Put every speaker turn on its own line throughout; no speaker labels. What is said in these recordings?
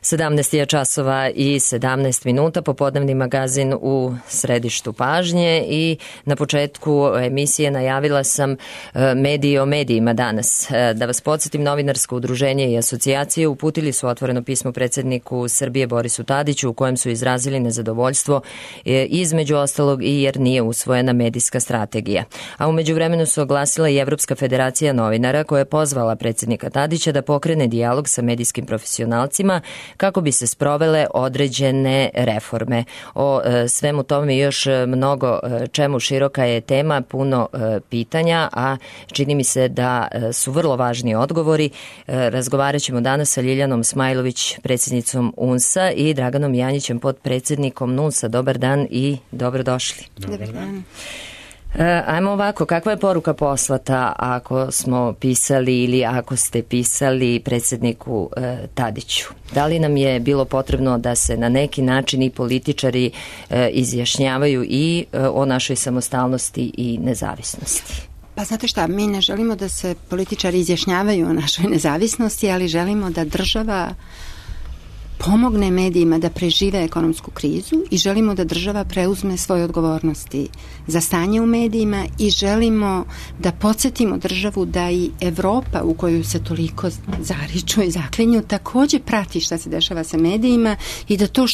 17 je časova i 17 minuta, popodnevni magazin u središtu pažnje i na početku emisije najavila sam mediji o medijima danas. Da vas podsjetim, novinarsko udruženje i asocijacije uputili su otvoreno pismo predsjedniku Srbije Borisu Tadiću u kojem su izrazili nezadovoljstvo između ostalog i jer nije usvojena medijska strategija. A u međuvremenu su oglasila i Evropska federacija novinara koja je pozvala predsjednika Tadića da pokrene dijalog sa medijskim profesionalcima kako bi se sprovele određene reforme. O svemu tome još mnogo čemu široka je tema, puno pitanja, a čini mi se da su vrlo važni odgovori. Razgovarat ćemo danas sa Ljiljanom Smajlović, predsjednicom UNS-a i Draganom Janjićem, podpredsjednikom NUNS-a. Dobar dan i dobrodošli.
Dobar dan.
Ajmo ovako, kakva je poruka poslata ako smo pisali ili ako ste pisali predsjedniku Tadiću? Da li nam je bilo potrebno da se na neki način i političari izjašnjavaju i o našoj samostalnosti i nezavisnosti?
Pa znate šta, mi ne želimo da se političari izjašnjavaju o našoj nezavisnosti, ali želimo da država pomogne medijima da prežive ekonomsku krizu i želimo da država preuzme svoje odgovornosti za stanje u medijima i želimo da podsjetimo državu da i Evropa u koju se toliko zariču i zaklinju također prati šta se dešava sa medijima i da to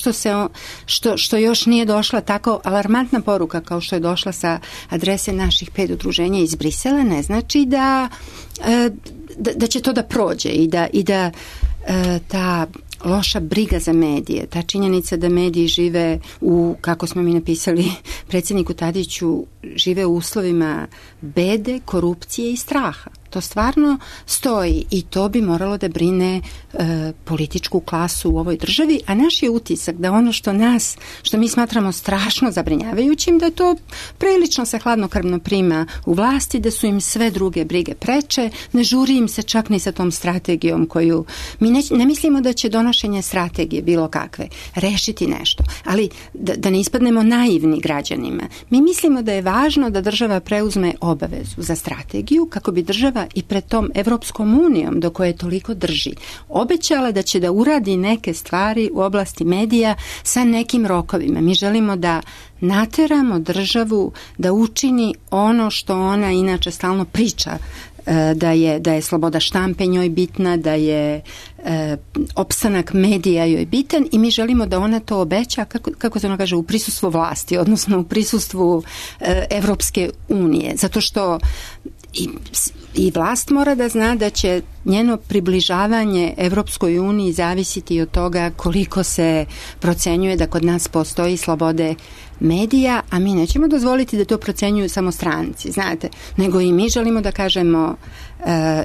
što još nije došla tako alarmantna poruka kao što je došla sa adrese naših 5 udruženja iz Brisela ne znači da će to da prođe i da ta loša briga za medije, ta činjenica da mediji žive u, kako smo mi napisali predsjedniku Tadiću, žive u uslovima bede, korupcije i straha. To stvarno stoji i to bi moralo da brine političku klasu u ovoj državi, a naš je utisak da ono što mi smatramo strašno zabrinjavajućim, da to prilično se hladnokrvno prima u vlasti, da su im sve druge brige preče, ne žuri im se čak ni sa tom strategijom koju mi ne mislimo da će donošenje strategije bilo kakve rešiti nešto, ali da ne ispadnemo naivni građanima. Mi mislimo da je važno da država preuzme obavezu za strategiju kako bi država i pred tom Evropskom unijom do koje toliko drži obećala da će da uradi neke stvari u oblasti medija sa nekim rokovima. Mi želimo da nateramo državu da učini ono što ona inače stalno priča, da je sloboda štampe njoj bitna, da je opstanak medija joj bitan i mi želimo da ona to obeća, kako se ono kaže, u prisustvu vlasti, odnosno u prisustvu Evropske unije. Zato što i vlast mora da zna da će njeno približavanje Evropskoj uniji zavisiti od toga koliko se procenjuje da kod nas postoji slobode medija, a mi nećemo dozvoliti da to procenjuju samo stranci, znate, nego i mi želimo da kažemo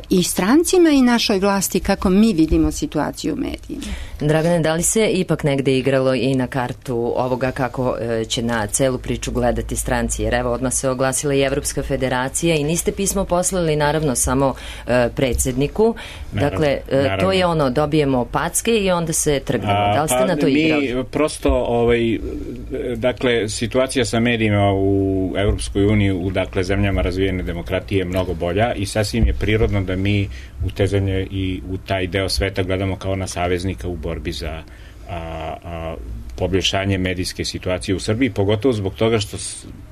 i strancima i našoj vlasti kako mi vidimo situaciju u medijima.
Dragane, da li se ipak negde igralo i na kartu ovoga kako će na celu priču gledati stranci? Jer evo, odmah se oglasila i Evropska federacija i niste pismo poslali naravno samo predsjedniku. Dakle, to je ono, dobijemo packe i onda se trgnemo. Da li ste na to igrali?
Mi prosto, dakle, situacija sa medijima u Evropskoj uniji, u dakle zemljama razvijene demokratije je mnogo bolja i sasvim je prirodno da mi u te zemlje i u taj deo sveta gledamo kao na saveznika u borbi za poboljšanje medijske situacije u Srbiji, pogotovo zbog toga što,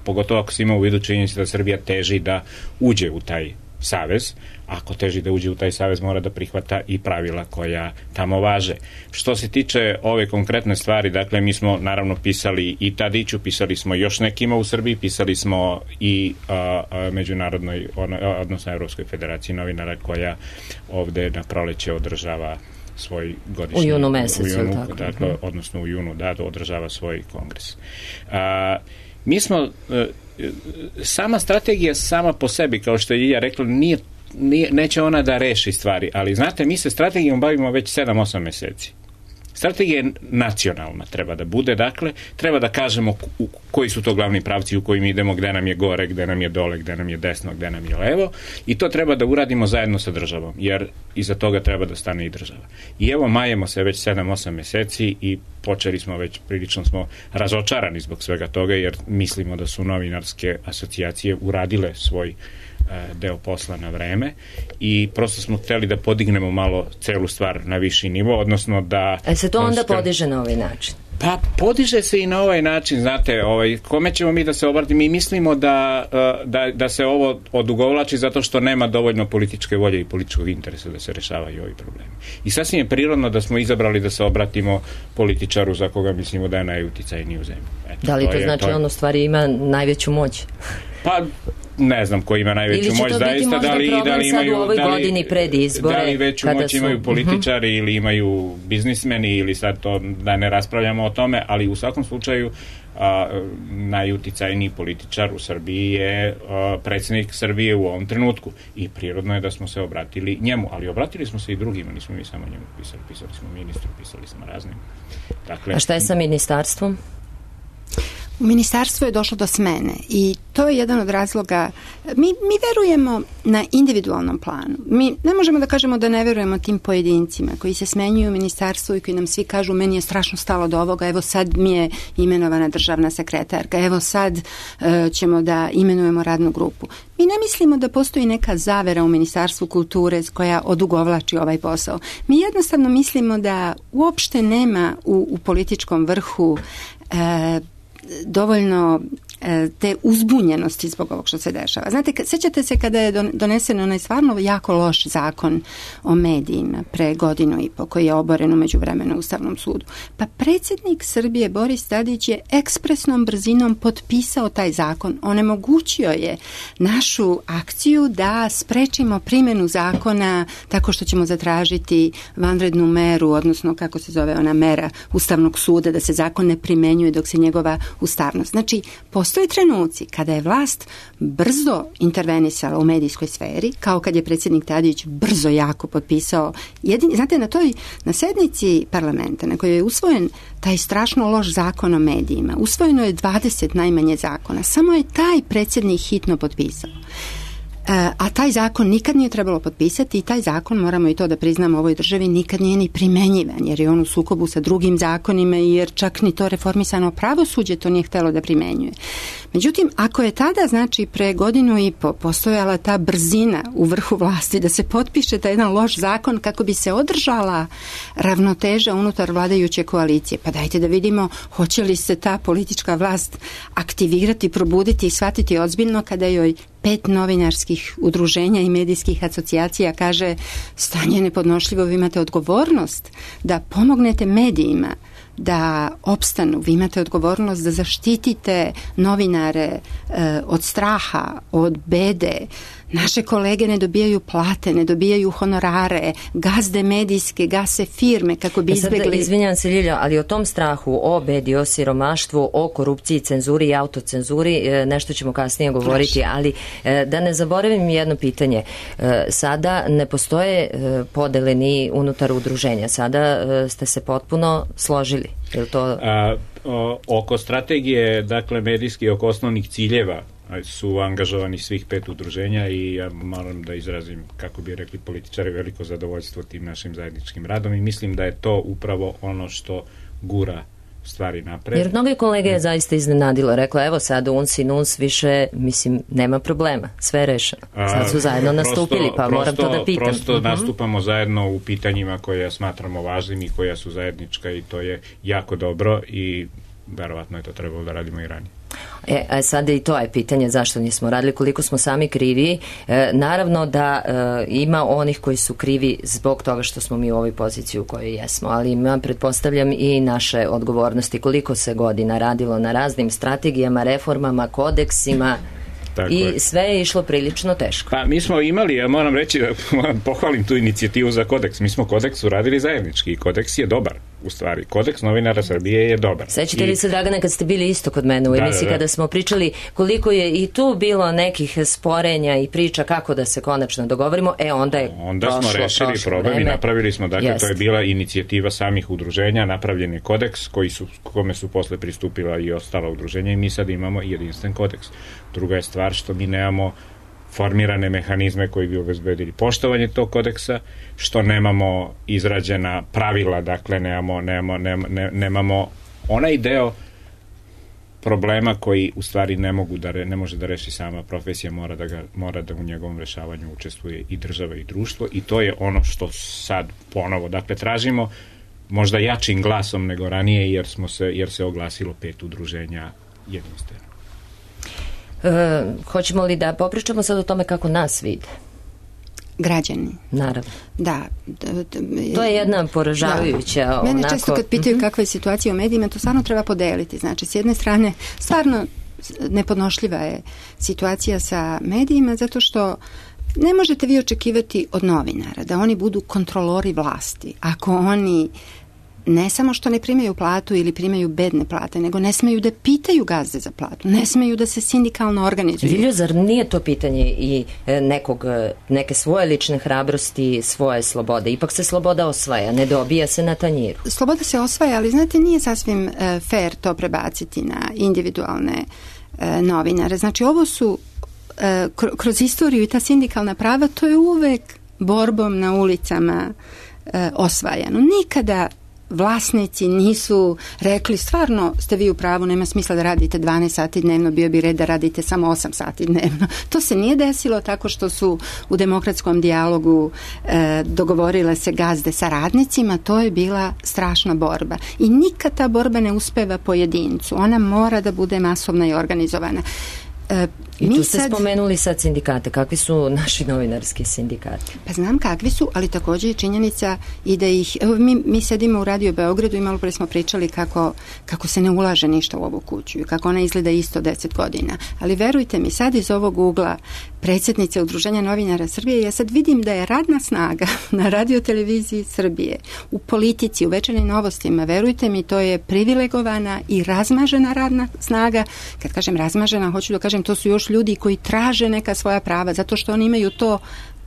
pogotovo ako se ima u vidu činjenica da Srbija teži da uđe u taj savez. Ako teži da uđe u taj savez, mora da prihvata i pravila koja tamo važe. Što se tiče ove konkretne stvari, dakle, mi smo naravno pisali i Tadiću, pisali smo još nekima u Srbiji, pisali smo i međunarodnoj, odnosno Evropskoj federaciji novinara koja ovde na proleće održava svoj godišnji...
U junu mesecu, tako.
Dakle, odnosno u junu, da, održava svoj kongres. Mi smo... Sama strategija sama po sebi, kao što je Ljilja rekla, neće ona da reši stvari, ali znate, mi se strategijom bavimo već 7-8 meseci. Strategija je nacionalna, treba da bude, dakle, treba da kažemo koji su to glavni pravci u kojim idemo, gde nam je gore, gde nam je dole, gde nam je desno, gde nam je levo, i to treba da uradimo zajedno sa državom, jer iza toga treba da stane i država. I evo, majemo se već 7-8 meseci i počeli smo već, prilično smo razočarani zbog svega toga, jer mislimo da su novinarske asocijacije uradile svoj deo posla na vreme i prosto smo hteli da podignemo malo celu stvar na viši nivo, odnosno da...
se to onda podiže na ovaj način?
Pa podiže se i na ovaj način, znate, kome ćemo mi da se obratimo? Mi mislimo da se ovo odugovlači zato što nema dovoljno političke volje i političkog interesa da se rešavaju ovi problemi. I sasvim je prirodno da smo izabrali da se obratimo političaru za koga mislimo da je najuticajniji u zemlji.
Da li to znači on u stvari ima najveću moć?
Pa ne znam ko ima najveću moć zaista, da li imaju,
u ovoj godini pred izbore,
da li veću moć imaju političari ili imaju biznismeni ili sad to da ne raspravljamo o tome, ali u svakom slučaju najuticajniji političar u Srbiji je predsjednik Srbije u ovom trenutku i prirodno je da smo se obratili njemu, ali obratili smo se i drugima, nismo mi samo njemu pisali smo ministru, pisali smo raznim. Dakle,
a šta je sa ministarstvom?
U ministarstvu je došlo do smene i to je jedan od razloga. Mi verujemo na individualnom planu. Mi ne možemo da kažemo da ne verujemo tim pojedincima koji se smenjuju u ministarstvu i koji nam svi kažu meni je strašno stalo do ovoga, evo sad mi je imenovana državna sekretarka, evo sad ćemo da imenujemo radnu grupu. Mi ne mislimo da postoji neka zavera u Ministarstvu kulture koja odugovlači ovaj posao. Mi jednostavno mislimo da uopšte nema u političkom vrhu dovoljno te uzbunjenosti zbog ovog što se dešava. Znate, sjećate se kada je donesen onaj stvarno jako loš zakon o medijima pre godinu i po, koji je oboren u međuvremenu Ustavnom sudu. Pa predsjednik Srbije Boris Tadić je ekspresnom brzinom potpisao taj zakon. Onemogućio je našu akciju da sprečimo primjenu zakona tako što ćemo zatražiti vanrednu meru, odnosno kako se zove ona mera Ustavnog suda, da se zakon ne primenjuje dok se njegova ustavnost. Znači, postoje trenuci kada je vlast brzo intervenisala u medijskoj sferi, kao kad je predsjednik Tadić brzo jako potpisao. Znate, na sednici parlamenta na kojoj je usvojen taj strašno loš zakon o medijima, usvojeno je 20 najmanje zakona. Samo je taj predsjednik hitno potpisao. A taj zakon nikad nije trebalo potpisati i taj zakon, moramo i to da priznamo u ovoj državi, nikad nije ni primenjivan jer je on u sukobu sa drugim zakonima i jer čak ni to reformisano pravosuđe to nije htelo da primenjuje. Međutim, ako je tada, znači pre godinu i po, postojala ta brzina u vrhu vlasti da se potpiše taj jedan loš zakon kako bi se održala ravnoteža unutar vladajuće koalicije, pa dajte da vidimo hoće li se ta politička vlast aktivirati, probuditi i shvatiti ozbiljno kada joj 5 novinarskih udruženja i medijskih asocijacija kaže stanje je nepodnošljivo, vi imate odgovornost da pomognete medijima da opstanu, vi imate odgovornost da zaštitite novinare od straha, od bede. Naše kolege ne dobijaju plate, ne dobijaju honorare, gazde medijske, gase firme kako bi izbjegli...
Izvinjam se, Ljilja, ali o tom strahu, o bedi, o siromaštvu, o korupciji, cenzuri i autocenzuri, nešto ćemo kasnije govoriti, ali da ne zaboravim jedno pitanje. Sada ne postoje podele ni unutar udruženja, sada ste se potpuno složili. Je li to...
Oko strategije, dakle, medijski, oko osnovnih ciljeva su angažovani svih 5 udruženja i ja moram da izrazim, kako bi rekli političari, veliko zadovoljstvo tim našim zajedničkim radom i mislim da je to upravo ono što gura stvari napred.
Jer mnogi kolege je zaista iznenadilo, rekla evo sad uns i nuns više, mislim, nema problema, sve je rešeno. Sad su zajedno nastupili, pa moram to da pitam.
Prosto nastupamo zajedno u pitanjima koje smatramo važnim i koja su zajednička i to je jako dobro i verovatno je to trebalo da radimo i ranije.
Sad i to je pitanje zašto nismo radili, koliko smo sami krivi. Naravno da ima onih koji su krivi zbog toga što smo mi u ovoj poziciji u kojoj jesmo, ali ima, pretpostavljam, i naše odgovornosti, koliko se godina radilo na raznim strategijama, reformama, kodeksima. I sve je išlo prilično teško.
Pa mi smo imali, ja moram reći da pohvalim tu inicijativu za kodeks. Mi smo kodeks uradili zajednički i kodeks je dobar, u stvari. Kodeks novinara Srbije je dobar.
Sećate li se, Dragana, kad ste bili isto kod mene u emisiji, kada smo pričali koliko je i tu bilo nekih sporenja i priča kako da se konačno dogovorimo, onda
smo rešili problem i napravili smo, dakle, to je bila inicijativa samih udruženja, napravljen je kodeks kome su posle pristupila i ostala udruženja i mi sad imamo jedinstven kodeks. Druga je stvar što mi nemamo formirane mehanizme koji bi obezbedili poštovanje tog kodeksa, što nemamo izrađena pravila, dakle nemamo onaj deo problema koji u stvari ne može da reši sama profesija, mora da u njegovom rešavanju učestvuje i država i društvo, i to je ono što sad ponovo, dakle, tražimo možda jačim glasom nego ranije, jer se oglasilo 5 udruženja jedinstveno.
Hoćemo li da popričamo sad o tome kako nas vide?
Građani.
Naravno.
Da.
To je jedna poražavajuća...
Mene često kad pitaju kakva je situacija u medijima, to stvarno treba podeliti. Znači, s jedne strane, stvarno nepodnošljiva je situacija sa medijima, zato što ne možete vi očekivati od novinara da oni budu kontrolori vlasti. Ako oni ne samo što ne primaju platu ili primaju bedne plate, nego ne smeju da pitaju gazde za platu, ne smeju da se sindikalno organizuju.
Viljo, zar nije to pitanje i neke svoje lične hrabrosti, svoje slobode? Ipak se sloboda osvaja, ne dobija se na tanjiru.
Sloboda se osvaja, ali znate, nije sasvim fair to prebaciti na individualne novinare. Znači, ovo su kroz istoriju i ta sindikalna prava, to je uvek borbom na ulicama osvajano. Nikada vlasnici nisu rekli stvarno ste vi u pravu, nema smisla da radite 12 sati dnevno, bio bi red da radite samo 8 sati dnevno. To se nije desilo tako što su u demokratskom dijalogu dogovorile se gazde sa radnicima, to je bila strašna borba. I nikad ta borba ne uspeva pojedincu, ona mora da bude masovna i organizovana.
I tu ste spomenuli sad sindikate. Kakvi su naši novinarski sindikati?
Pa znam kakvi su, ali također je činjenica i da ih... Evo, mi sedimo u Radio Beogradu i malo pre smo pričali kako se ne ulaže ništa u ovu kuću i kako ona izgleda isto 10 godina. Ali verujte mi, sad iz ovog ugla predsjednice Udruženja novinara Srbije, ja sad vidim da je radna snaga na radioteleviziji Srbije, u politici, u večernjim novostima, verujte mi, to je privilegovana i razmažena radna snaga. Kad kažem razmažena, hoću da kažem, to su još ljudi koji traže neka svoja prava, zato što oni imaju to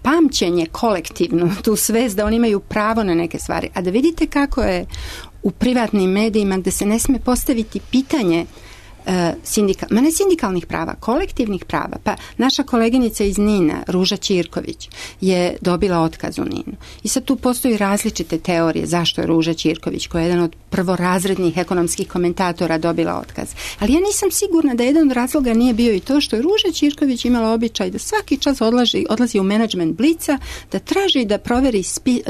pamćenje kolektivno, tu svest da oni imaju pravo na neke stvari. A da vidite kako je u privatnim medijima gde se ne sme postaviti pitanje ne sindikalnih prava, kolektivnih prava. Pa naša koleginica iz Nina, Ruža Ćirković, je dobila otkaz u Ninu. I sad tu postoji različite teorije zašto je Ruža Ćirković, koja je jedan od prvorazrednih ekonomskih komentatora, dobila otkaz. Ali ja nisam sigurna da jedan od razloga nije bio i to što je Ruža Ćirković imala običaj da svaki čas odlazi u menadžment Blica, da traži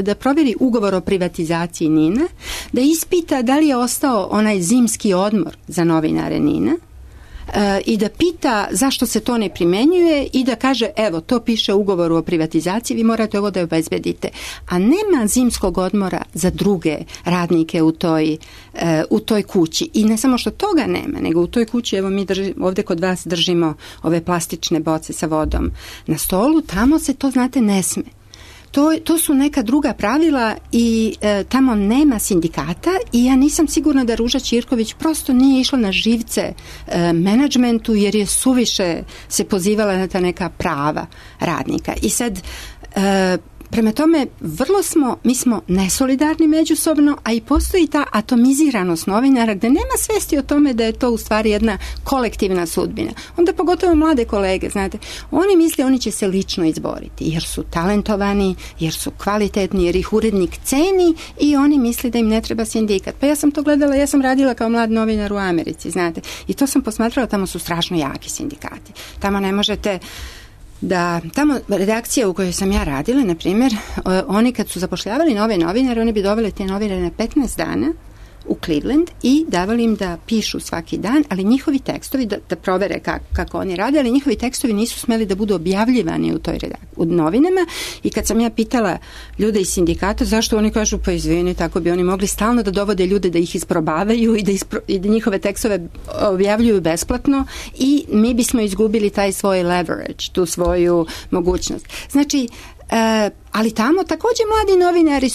da proveri ugovor o privatizaciji Nina, da ispita da li je ostao onaj zimski odmor za novinare Nina, i da pita zašto se to ne primenjuje i da kaže, evo, to piše u ugovoru o privatizaciji, vi morate ovo da obezbedite. A nema zimskog odmora za druge radnike u toj kući. I ne samo što toga nema, nego u toj kući, evo mi ovdje kod vas držimo ove plastične boce sa vodom na stolu, tamo se to, znate, ne sme. To su neka druga pravila i tamo nema sindikata i ja nisam sigurna da Ruža Ćirković prosto nije išla na živce menadžmentu jer je suviše se pozivala na ta neka prava radnika. I sad prema tome, mi smo nesolidarni međusobno, a i postoji ta atomiziranost novinara gde nema svesti o tome da je to u stvari jedna kolektivna sudbina. Onda pogotovo mlade kolege, znate, oni misle oni će se lično izboriti jer su talentovani, jer su kvalitetni, jer ih urednik ceni i oni misle da im ne treba sindikat. Pa ja sam to gledala, ja sam radila kao mlad novinar u Americi, znate, i to sam posmatrala, tamo su strašno jaki sindikati. Tamo ne možete tamo redakcija u kojoj sam ja radila, na primjer, oni kad su zapošljavali nove novinare, oni bi doveli te novinare na 15 dana u Cleveland i davali im da pišu svaki dan, ali njihovi tekstovi, da provere kako oni rade, ali njihovi tekstovi nisu smeli da budu objavljivani u novinama. I kad sam ja pitala ljude iz sindikata zašto, oni kažu, pa izvini, tako bi oni mogli stalno da dovode ljude da ih isprobavaju i da njihove tekstove objavljuju besplatno i mi bismo izgubili taj svoj leverage, tu svoju mogućnost. Znači, ali tamo također mladi novinari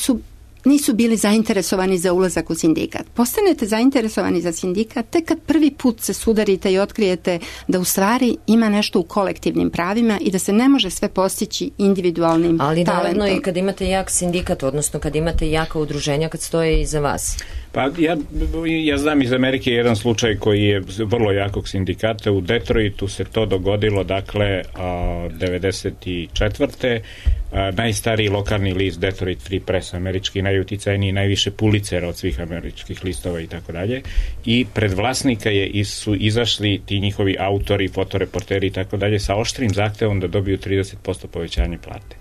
nisu bili zainteresovani za ulazak u sindikat. Postanete zainteresovani za sindikat tek kad prvi put se sudarite i otkrijete da u stvari ima nešto u kolektivnim pravima i da se ne može sve postići individualnim talentom.
Ali naravno i kad imate jak sindikat, odnosno kad imate jaka udruženja kad stoje iza vas.
Pa ja znam iz Amerike jedan slučaj koji je vrlo jakog sindikata. U Detroitu se to dogodilo, dakle, 94. Najstariji lokalni list Detroit Free Press, američki, najuticajniji, najviše Pulitzera od svih američkih listova i tako dalje. I pred vlasnika su izašli ti njihovi autori, fotoreporteri i tako dalje sa oštrim zahtevom da dobiju 30% povećanje plate.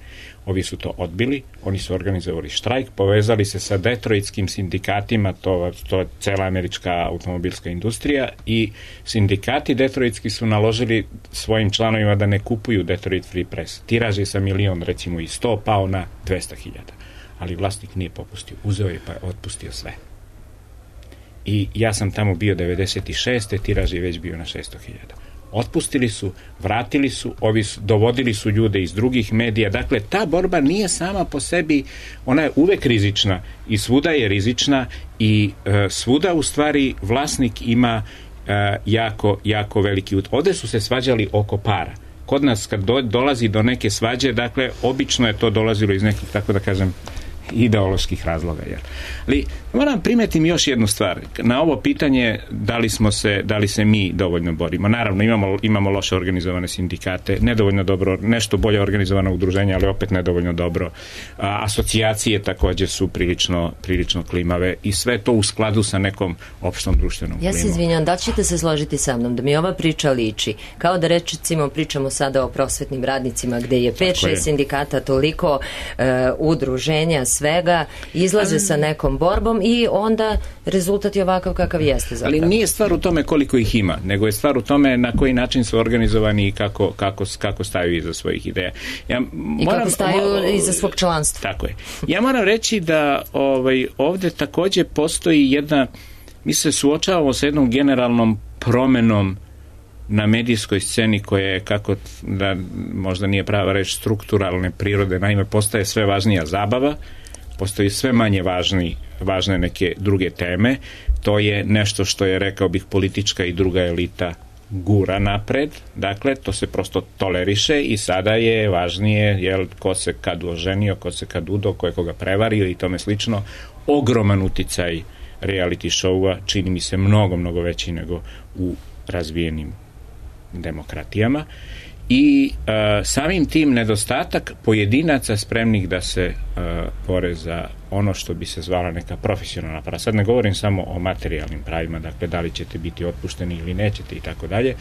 Ovi su to odbili, oni su organizovali štrajk, povezali se sa detroitskim sindikatima, to je cela američka automobilska industrija, i sindikati detroitski su naložili svojim članovima da ne kupuju Detroit Free Press. Tiraž je sa 1.000.000, recimo, i 100 pao na 200.000. Ali vlasnik nije popustio, uzeo je pa je otpustio sve. I ja sam tamo bio 96. tiraž je već bio na 600.000. Otpustili su, vratili su, dovodili su ljude iz drugih medija. Dakle, ta borba nije sama po sebi, ona je uvek rizična i svuda je rizična i svuda u stvari vlasnik ima jako veliki ovdje su se svađali oko para. Kod nas kad dolazi do neke svađe, dakle, obično je to dolazilo iz nekih, tako da kažem, ideoloških razloga. Ali moram primetim još jednu stvar. Na ovo pitanje da li se mi dovoljno borimo. Naravno, imamo loše organizovane sindikate, nedovoljno dobro, nešto bolje organizovano udruženje, ali opet nedovoljno dobro. Asocijacije također su prilično klimave i sve to u skladu sa nekom opštom društvenom klimom.
Ja se izvinjam, da li ćete se složiti sa mnom da mi ova priča liči? Kao da pričamo sada o prosvetnim radnicima gde je 5-6 sindikata, toliko udruženja, svega, izlaze sa nekom borbom i onda rezultat je ovakav kakav jeste zapravo.
Ali nije stvar u tome koliko ih ima, nego je stvar u tome na koji način su organizovani i kako staju iza svojih ideja.
I kako staju iza svog članstva.
Tako je. Ja moram reći da ovdje također postoji mi se suočavamo sa jednom generalnom promenom na medijskoj sceni koja je, kako da možda nije prava reći, strukturalne prirode. Naime, postaje sve važnija zabava, postoji sve manje važne neke druge teme. To je nešto što je, rekao bih, politička i druga elita gura napred. Dakle, to se prosto toleriše i sada je važnije ko se kad oženio, ko se kad udo, ko je koga prevario i tome slično. Ogroman uticaj reality showa, čini mi se mnogo veći nego u razvijenim demokratijama i samim tim nedostatak pojedinaca spremnih da se bore za ono što bi se zvala neka profesionalna prava. Sad ne govorim samo o materijalnim pravima, dakle da li ćete biti otpušteni ili nećete i tako dalje,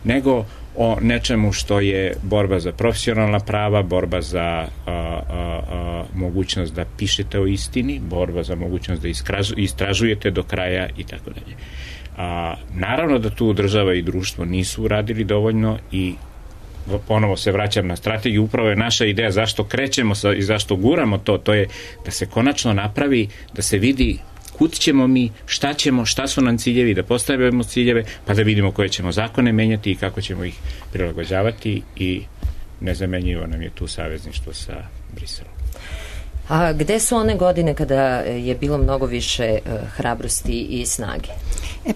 nego o nečemu što je borba za profesionalna prava, borba za mogućnost da pišete o istini, borba za mogućnost da istražujete do kraja i tako dalje. Naravno da tu država i društvo nisu uradili dovoljno i ponovo se vraćam na strategiju, upravo je naša ideja zašto krećemo i zašto guramo to je da se konačno napravi, da se vidi kud ćemo mi, šta su nam ciljevi, da postavimo ciljeve, pa da vidimo koje ćemo zakone menjati i kako ćemo ih prilagođavati i nezamenjivo nam je tu savezništvo sa Briselom.
A gde su one godine kada je bilo mnogo više hrabrosti i snage?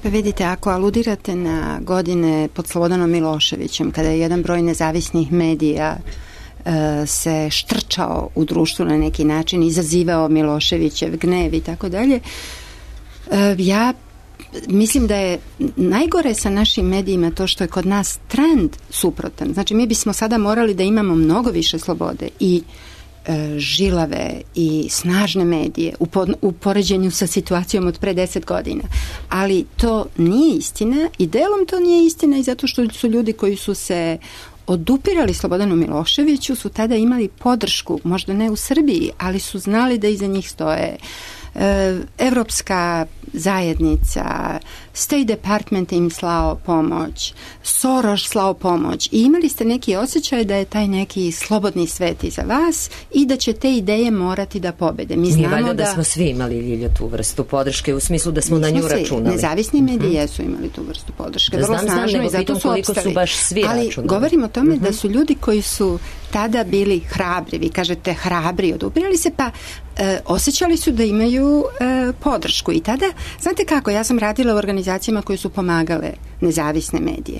Pa vidite, ako aludirate na godine pod Slobodanom Miloševićem, kada je jedan broj nezavisnih medija se štrčao u društvu na neki način, izazivao Miloševićev gnev i tako dalje, ja mislim da je najgore sa našim medijima to što je kod nas trend suprotan. Znači, mi bismo sada morali da imamo mnogo više slobode i žilave i snažne medije u poređenju sa situacijom od pre 10 godina. Ali to nije istina i delom to nije istina i zato što su ljudi koji su se odupirali Slobodanu Miloševiću su tada imali podršku, možda ne u Srbiji, ali su znali da iza njih stoje Evropska zajednica, State Department im slao pomoć, Soros slao pomoć i imali ste neki osjećaj da je taj neki slobodni svet iza vas i da će te ideje morati da pobede. Mi znamo
da smo svi imali, Ljilja, tu vrstu podrške u smislu da smo na nju računali.
Nezavisni mediji jesu imali tu vrstu podrške. Vrlo snažno i zato su opstali. Ali govorimo o tome da su ljudi koji su tada bili hrabri, vi kažete hrabri, odupirali se, pa osjećali su da imaju podršku i tada, znate kako, ja sam radila u organizacijama koje su pomagale nezavisne medije.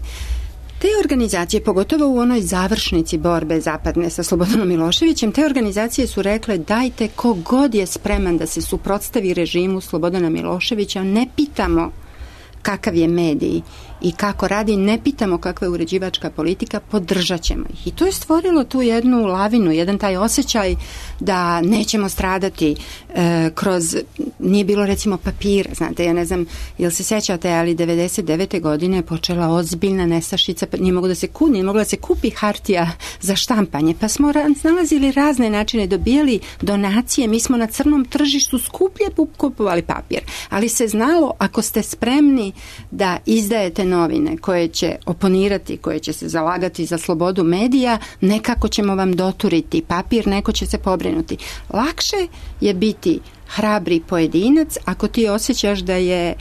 Te organizacije, pogotovo u onoj završnici borbe zapadne sa Slobodanom Miloševićem, te organizacije su rekle dajte ko god je spreman da se suprotstavi režimu Slobodana Miloševića, ne pitamo kakav je medij i kako radi, ne pitamo kakva je uređivačka politika, podržat ćemo ih. I to je stvorilo tu jednu lavinu, jedan taj osjećaj da nećemo stradati kroz, nije bilo recimo papira, znate, ja ne znam, jel se sećate, ali 99. godine je počela ozbiljna nestašica, nije mogla da se kupi hartija za štampanje, pa smo nalazili razne načine, dobijali donacije, mi smo na crnom tržištu skuplje kupovali papir, ali se znalo, ako ste spremni da izdajete novine koje će oponirati, koje će se zalagati za slobodu medija, nekako ćemo vam doturiti papir, neko će se pobrinuti. Lakše je biti hrabri pojedinac ako ti osjećaš da je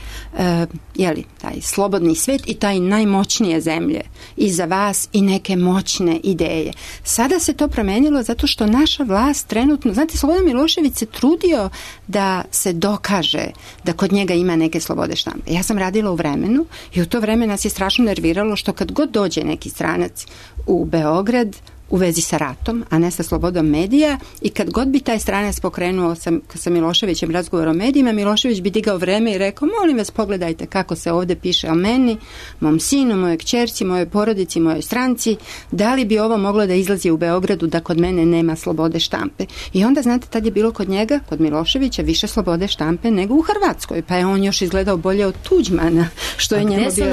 taj slobodni svet i taj najmoćnije zemlje iza vas i neke moćne ideje. Sada se to promenilo zato što naša vlast trenutno, znate, Slobodan Milošević se trudio da se dokaže da kod njega ima neke slobode štampe. Ja sam radila u Vremenu i u to vreme nas je strašno nerviralo što kad god dođe neki stranac u Beograd u vezi sa ratom, a ne sa slobodom medija, i kad god bi taj stranac pokrenuo sa Miloševićem razgovor o medijima, Milošević bi digao Vreme i rekao, molim vas, pogledajte kako se ovdje piše o meni, mom sinu, mojoj kćerci, mojoj porodici, mojoj stranci, da li bi ovo moglo da izlazi u Beogradu da kod mene nema slobode štampe. I onda, znate, tad je bilo kod njega, kod Miloševića, više slobode štampe nego u Hrvatskoj, pa je on još izgledao bolje od Tuđmana, što je njemu bio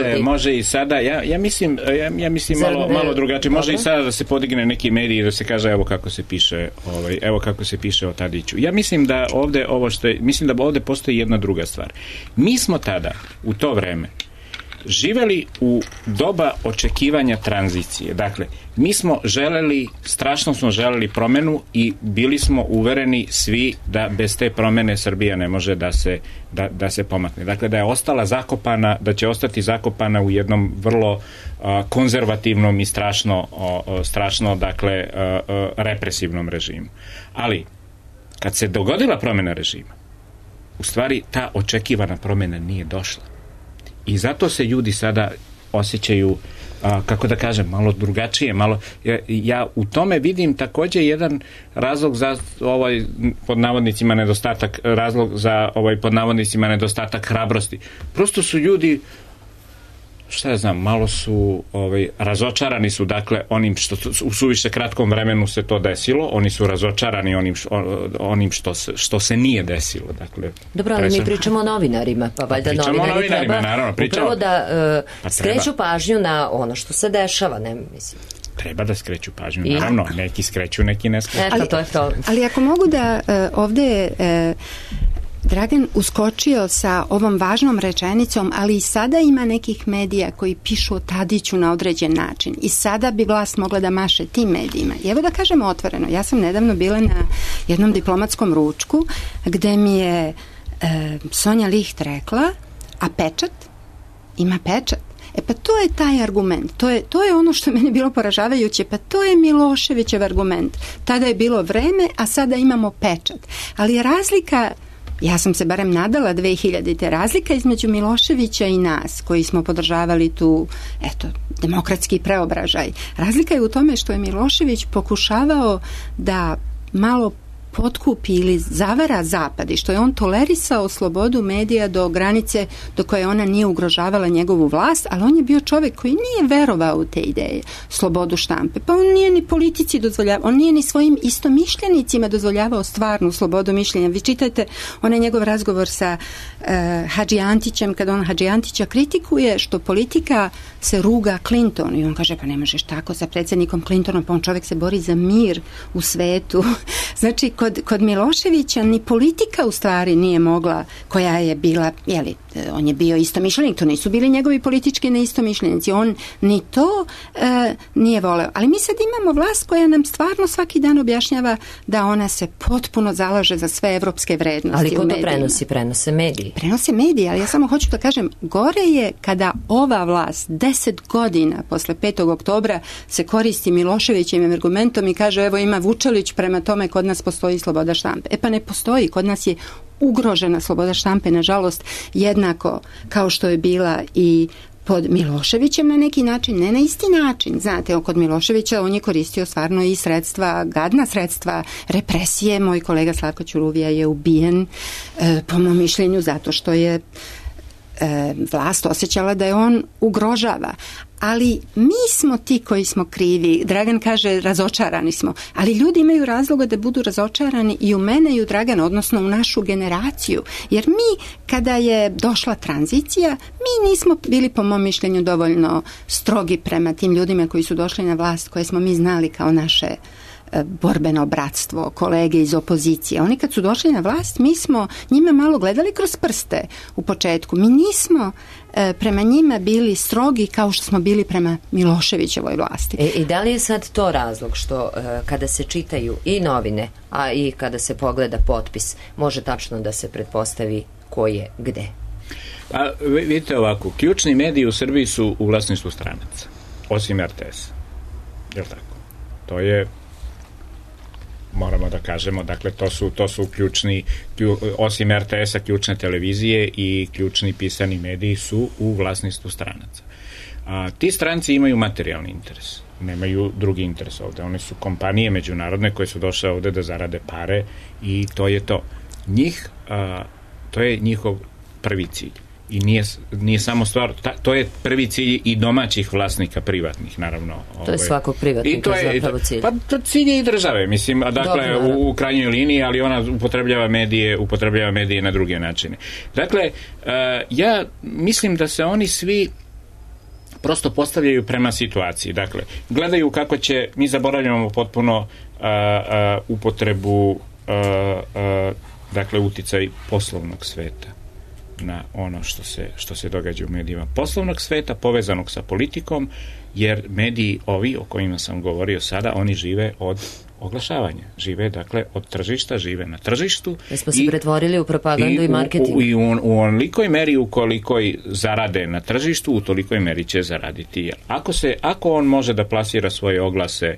reper.
Može i sada, ja mislim malo drugačije, može i sada da se podigne neki medij i da se kaže evo kako se piše o Tadiću. Ja mislim da ovdje postoji jedna druga stvar. Mi smo tada u to vreme živeli u doba očekivanja tranzicije. Dakle, strašno smo želeli promjenu i bili smo uvereni svi da bez te promjene Srbija ne može da se pomakne. Dakle, da je ostala zakopana, da će ostati zakopana u jednom vrlo konzervativnom i strašno dakle, represivnom režimu. Ali, kad se dogodila promjena režima, u stvari ta očekivana promjena nije došla. I zato se ljudi sada osjećaju, kako da kažem, malo drugačije, ja u tome vidim također jedan razlog za pod navodnicima nedostatak hrabrosti. Prosto su ljudi, šta ja znam, malo su razočarani su, dakle, onim što u suviše kratkom vremenu se to desilo, oni su razočarani onim što se nije desilo. Dakle,
dobro, ali mi pričamo o novinarima, pa valjda novinari treba
naravno,
upravo da skreću pažnju na ono što se dešava, ne mislim.
Treba da skreću pažnju, naravno, neki skreću, neki ne skreću.
Ali ako mogu da ovdje Dragan uskočio sa ovom važnom rečenicom, ali i sada ima nekih medija koji pišu o Tadiću na određen način i sada bi vlast mogla da maše tim medijima. I evo da kažemo otvoreno, ja sam nedavno bila na jednom diplomatskom ručku gde mi je Sonja Licht rekla, a pečat? Ima pečat. Pa to je taj argument, to je ono što je meni bilo poražavajuće, pa to je Miloševićev argument. Tada je bilo Vreme, a sada imamo pečat. Ali je razlika, ja sam se barem nadala 2000-te, razlika između Miloševića i nas koji smo podržavali tu, demokratski preobražaj. Razlika je u tome što je Milošević pokušavao da malo potkupi ili zavara Zapad i što je on tolerisao slobodu medija do granice do koje ona nije ugrožavala njegovu vlast, ali on je bio čovjek koji nije verovao u te ideje, slobodu štampe. Pa on nije ni politici dozvoljavao, on nije ni svojim istomišljenicima dozvoljavao stvarnu slobodu mišljenja. Vi čitajte onaj njegov razgovor sa Hadži Antićem, kada on Hadži Antića kritikuje što politika se ruga Clinton i on kaže pa ne možeš tako sa predsjednikom Clintonom, pa on čovjek se bori za mir u svetu. Znači, kod Miloševića ni politika u stvari nije mogla, koja je bila, on je bio istomišljenik, to nisu bili njegovi politički neistomišljenici, on ni to nije voleo. Ali mi sad imamo vlast koja nam stvarno svaki dan objašnjava da ona se potpuno zalaže za sve evropske vrednosti.
Ali ko to prenosi? Prenose mediji.
Prenose mediji, ali ja samo hoću da kažem, gore je kada ova vlast 10 godina posle 5. oktobra se koristi Miloševićevim argumentom i kaže evo ima Vučelić, prema tome kod nas postoji sloboda štampe. Pa ne postoji, kod nas je ugrožena sloboda štampe, nažalost, jednako kao što je bila i pod Miloševićem na neki način, ne na isti način. Znate, kod Miloševića on je koristio stvarno i sredstva, gadna sredstva represije. Moj kolega Slavko Ćuruvija je ubijen, po mom mišljenju, zato što je vlast osjećala da je on ugrožava. Ali mi smo ti koji smo krivi. Dragan kaže razočarani smo, ali ljudi imaju razloga da budu razočarani i u mene i u Dragana, odnosno u našu generaciju. Jer mi, kada je došla tranzicija, mi nismo bili, po mom mišljenju, dovoljno strogi prema tim ljudima koji su došli na vlast, koje smo mi znali kao naše borbeno bratstvo, kolege iz opozicije. Oni kad su došli na vlast, mi smo njima malo gledali kroz prste u početku. Mi nismo prema njima bili strogi kao što smo bili prema Miloševićevoj vlasti.
I da li je sad to razlog što kada se čitaju i novine, a i kada se pogleda potpis, može tačno da se pretpostavi ko je gde?
Pa vidite ovako, ključni mediji u Srbiji su u vlasništvu stranaca, osim RTS-a. Je li tako? To je, moramo da kažemo, dakle to su ključni, osim RTS-a, ključne televizije i ključni pisani mediji su u vlasništvu stranaca. Ti stranci imaju materijalni interes, nemaju drugi interes ovde. One su kompanije međunarodne koje su došle ovde da zarade pare i to je to. To je njihov prvi cilj. I nije samo stvar, to je prvi cilj i domaćih vlasnika privatnih, naravno.
To je svakog privatnika zapravo cilj.
Pa to cilj je i države, mislim, dakle, u krajnjoj liniji, ali ona upotrebljava medije na druge načine. Dakle, ja mislim da se oni svi prosto postavljaju prema situaciji. Dakle, gledaju kako će, mi zaboravljamo potpuno upotrebu, dakle, uticaj poslovnog sveta na ono što se događa u medijima poslovnog sveta, povezanog sa politikom, jer mediji ovi o kojima sam govorio sada, oni žive od oglašavanja. Žive, dakle, od tržišta, žive na tržištu.
Da smo se pretvorili u propagandu i marketing.
I u onolikoj meri u kolikoj zarade na tržištu, u tolikoj meri će zaraditi. Ako on može da plasira svoje oglase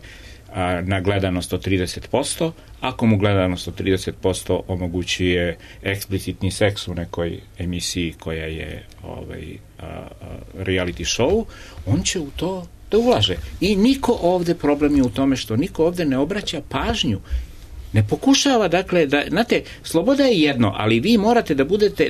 na gledanost od 30%, ako mu gledanost od 30% omogućuje eksplicitni seks u nekoj emisiji koja je reality show, on će u to da ulaže. I niko ovde, problem je u tome što niko ovde ne obraća pažnju, ne pokušava, dakle, znate, sloboda je jedno, ali vi morate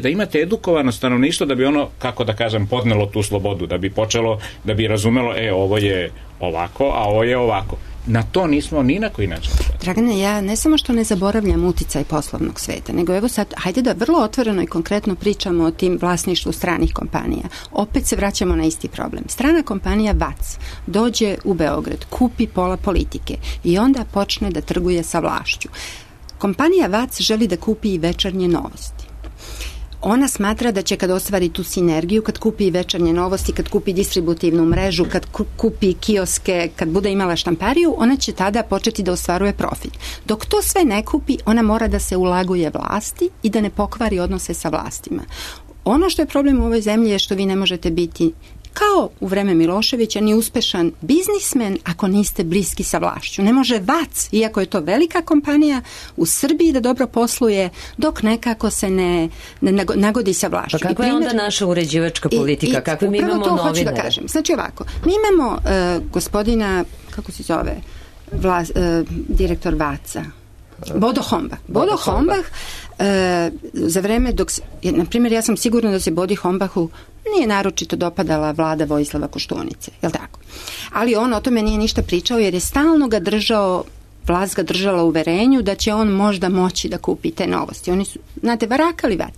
da imate edukovano stanovništvo da bi ono, kako da kažem, podnelo tu slobodu, da bi počelo, da bi razumelo, ovo je ovako, a ovo je ovako. Na to nismo ni na koji način.
Dragane, ja ne samo što ne zaboravljam uticaj poslovnog sveta, nego evo sad, hajde da vrlo otvoreno i konkretno pričamo o tim vlasništvu stranih kompanija. Opet se vraćamo na isti problem. Strana kompanija VAC dođe u Beograd, kupi pola Politike i onda počne da trguje sa vlašću. Kompanija VAC želi da kupi i Večernje novosti. Ona smatra da će kad ostvari tu sinergiju, kad kupi Večernje novosti, kad kupi distributivnu mrežu, kad kupi kioske, kad bude imala štampariju, ona će tada početi da ostvaruje profit. Dok to sve ne kupi, ona mora da se ulaguje vlasti i da ne pokvari odnose sa vlastima. Ono što je problem u ovoj zemlji je što vi ne možete biti kao u vreme Miloševića ni uspešan biznismen ako niste bliski sa vlašću. Ne može VAC, iako je to velika kompanija, u Srbiji da dobro posluje dok nekako se ne nagodi sa vlašću.
Pa kako je onda naša uređivačka politika? Kako mi imamo novinare?
Hoću da kažem. Znači ovako, mi imamo gospodina, kako se zove, direktor VAC-a, Bodo Hombach, za vreme dok, na primjer, ja sam sigurna da se Bodi Hombachu nije naročito dopadala vlada Vojislava Koštunice, je li tako? Ali on o tome nije ništa pričao jer je stalno ga držao, vlast ga držala u uverenju da će on možda moći da kupi te novosti. Oni su, znate, varakali vas.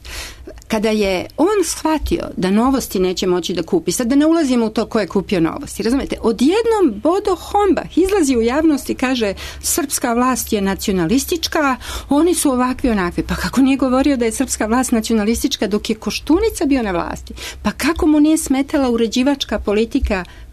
Kada je on shvatio da novosti neće moći da kupi, sad da ne ulazimo u to ko je kupio novosti, razumete, odjednom Bodo Hombach izlazi u javnost i kaže srpska vlast je nacionalistička, oni su ovakvi onakvi. Pa kako nije govorio da je srpska vlast nacionalistička dok je Koštunica bio na vlasti? Pa kako mu nije smetala uređivačka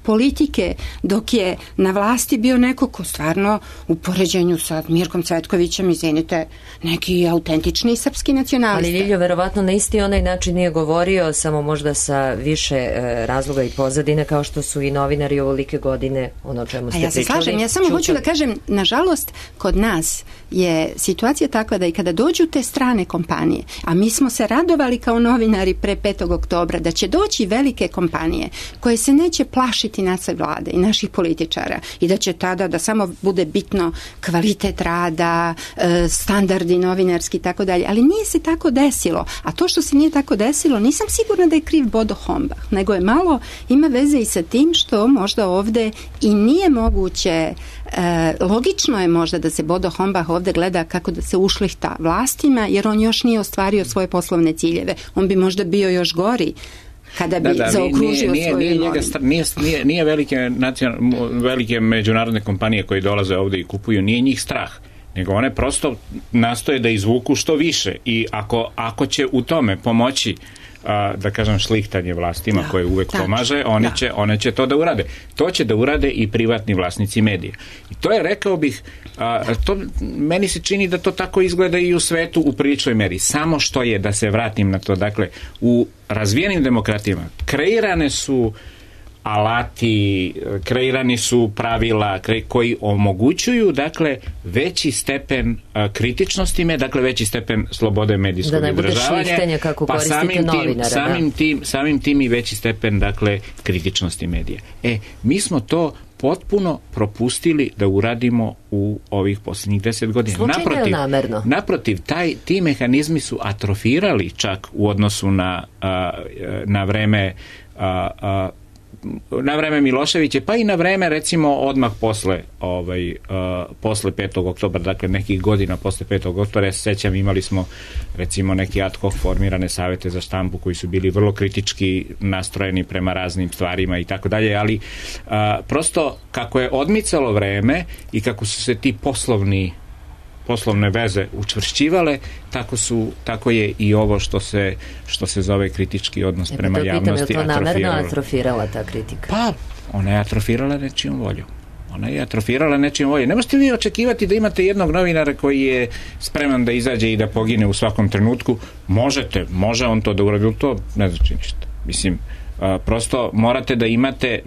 politike dok je na vlasti bio neko ko stvarno u poređenju sa Mirkom Cvetkovićem, izvinite, neki autentični srpski nacionalista.
Ali Ljiljo, verovatno na isti onaj način nije govorio, samo možda sa više razloga i pozadine, kao što su i novinari ovolike godine, ono o čemu ste pričali.
Ja se slažem, ja samo hoću da kažem, nažalost, kod nas je situacija takva da i kada dođu te strane kompanije, a mi smo se radovali kao novinari pre 5. oktobra da će doći velike kompanije koje se neće plašiti naše vlade i naših političara i da će tada da samo bude bitno kvalitet rada, standardi novinarski i tako dalje, ali nije se tako desilo, a to što se nije tako desilo nisam sigurna da je kriv Bodo Hombach, nego je malo ima veze i sa tim što možda ovde i nije moguće, logično je možda da se Bodo Hombach ovde gleda kako da se ušlihta vlastima, jer on još nije ostvario svoje poslovne ciljeve. On bi možda bio još gori kada bi zaokružio svoju imovinu.
Nije velike međunarodne kompanije koje dolaze ovde i kupuju, nije njih strah, nego one prosto nastoje da izvuku što više i ako će u tome pomoći da kažem šlihtanje vlastima koje uvek pomaže, one će to da urade. To će da urade i privatni vlasnici medija. I to je, rekao bih, meni se čini da to tako izgleda i u svetu u priličnoj meri. Samo što je, da se vratim na to, dakle, u razvijenim demokratijama kreirane su alati, kreirani su pravila koji omogućuju, dakle, veći stepen kritičnosti, dakle, veći stepen slobode medijskog izražavanja, pa samim tim i veći stepen, dakle, kritičnosti medija. Mi smo to potpuno propustili da uradimo u ovih posljednjih 10 godina. Naprotiv, ti mehanizmi su atrofirali čak u odnosu na vreme Miloševića, pa i na vreme, recimo, odmah posle 5. oktobra, dakle nekih godina posle 5. oktobra, ja se sećam, imali smo, recimo, neki ad hoc formirane savete za štampu koji su bili vrlo kritički nastrojeni prema raznim stvarima i tako dalje, ali prosto kako je odmicalo vreme i kako su se ti poslovne veze učvršćivale, tako je i ovo što se zove kritički odnos prema javnosti
atrofirala. Je li to namerno atrofirala ta kritika?
Pa, ona je atrofirala nečijom voljom. Ne možete vi očekivati da imate jednog novinara koji je spreman da izađe i da pogine u svakom trenutku. Može on to da uradi, to ne znači ništa. Mislim, prosto morate da imate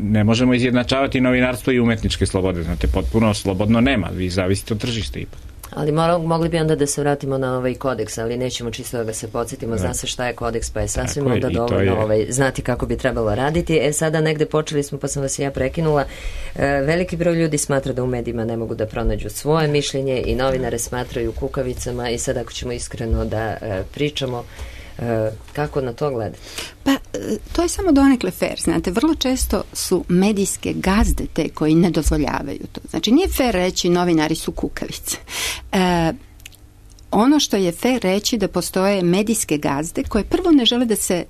ne možemo izjednačavati novinarstvo i umetničke slobode, znate, potpuno slobodno nema, vi zavisite od tržišta ipak.
Ali mogli bi onda da se vratimo na ovaj kodeks, ali nećemo čisto da ga se podsjetimo, zna se šta je kodeks, pa je sasvim onda dovoljno znati kako bi trebalo raditi. Sada negde počeli smo, pa sam vas ja prekinula. Veliki broj ljudi smatra da u medijima ne mogu da pronađu svoje mišljenje i novinare smatraju kukavicama i sad ako ćemo iskreno da pričamo, kako na to gledate?
Pa, to je samo donekle fair, znate, vrlo često su medijske gazde te koji ne dozvoljavaju to. Znači, nije fair reći novinari su kukavice. Ono što je fair reći da postoje medijske gazde koje prvo ne žele da se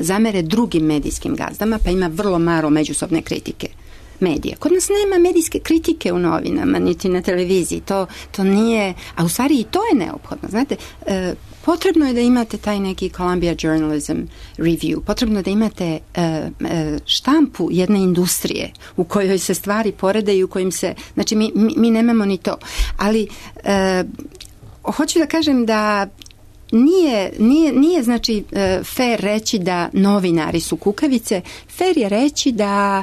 zamere drugim medijskim gazdama, pa ima vrlo malo međusobne kritike medija. Kod nas nema medijske kritike u novinama, niti na televiziji. To nije, a u stvari i to je neophodno. Znate, potrebno je da imate taj neki Columbia Journalism Review, potrebno da imate štampu jedne industrije u kojoj se stvari poredaju, u kojim se, znači mi nemamo ni to. Ali hoću da kažem da nije znači fair reći da novinari su kukavice, fair je reći da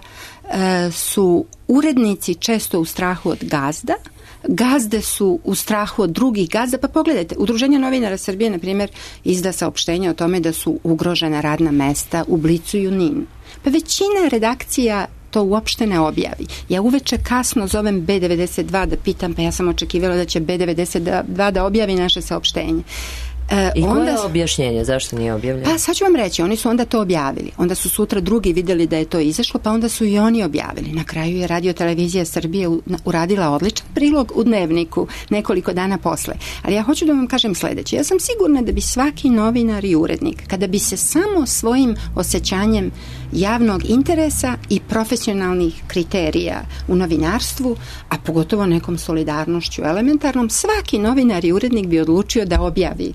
su urednici često u strahu od gazde su u strahu od drugih gazda, pa pogledajte, Udruženje novinara Srbije, na primjer, izda saopštenje o tome da su ugrožena radna mesta u Blicu i u NIN. Pa većina redakcija to uopšte ne objavi. Ja uveče kasno zovem B92 da pitam, pa ja sam očekivala da će B92 da objavi naše saopštenje.
I koje je objašnjenje? Zašto nije objavljeno?
Pa sad ću vam reći, oni su onda to objavili. Onda su sutra drugi vidjeli da je to izašlo, pa onda su i oni objavili. Na kraju je Radio-televizija Srbije uradila odličan prilog u Dnevniku nekoliko dana posle. Ali ja hoću da vam kažem sledeće. Ja sam sigurna da bi svaki novinar i urednik, kada bi se samo svojim osjećanjem javnog interesa i profesionalnih kriterija u novinarstvu, a pogotovo nekom solidarnošću elementarnom, svaki novinar i urednik bi odlučio da objavi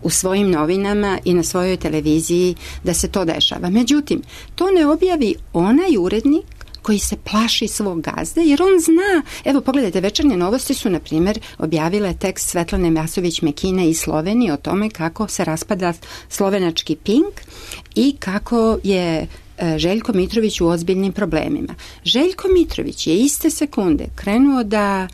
u svojim novinama i na svojoj televiziji da se to dešava. Međutim, to ne objavi onaj urednik koji se plaši svog gazde, jer on zna, evo pogledajte, Večernje novosti su, na primjer, objavile tekst Svetlane Masović-Mekine iz Slovenije o tome kako se raspada slovenački Pink i kako je Željko Mitrović u ozbiljnim problemima. Željko Mitrović je iste sekunde krenuo da